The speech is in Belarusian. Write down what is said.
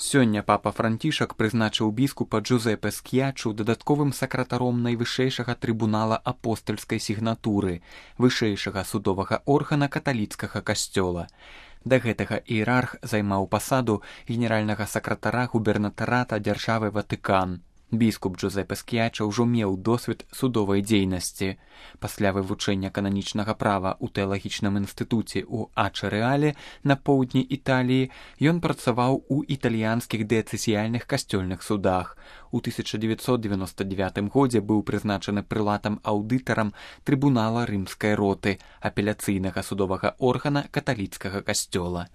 Сёння папа Францішак прызначыў біскупа Джузепе Ск'ячу дадатковым сакратаром найвышэйшага трыбунала апостальскай сігнатуры, вышэйшага судовага органа каталіцкага касцёла. Да гэтага іерарх займаў пасаду генеральнага сакратара губернатарата дзяржавы Ватыкан. Біскуп Джузепе Ск'яча ўжо меў досвед судовай дзейнасці. Пасля вывучэння кананічнага права ў тэалагічным інстытуце ў Ача-Рэале на поўдні Італіі ён працаваў у італьянскіх дыяцэзіяльных касцёльных судах. У 1999 годзе быў прызначаны прылатам-аўдытарам трыбунала рымскай роты, апеляцыйнага судовага органа каталіцкага касцёла.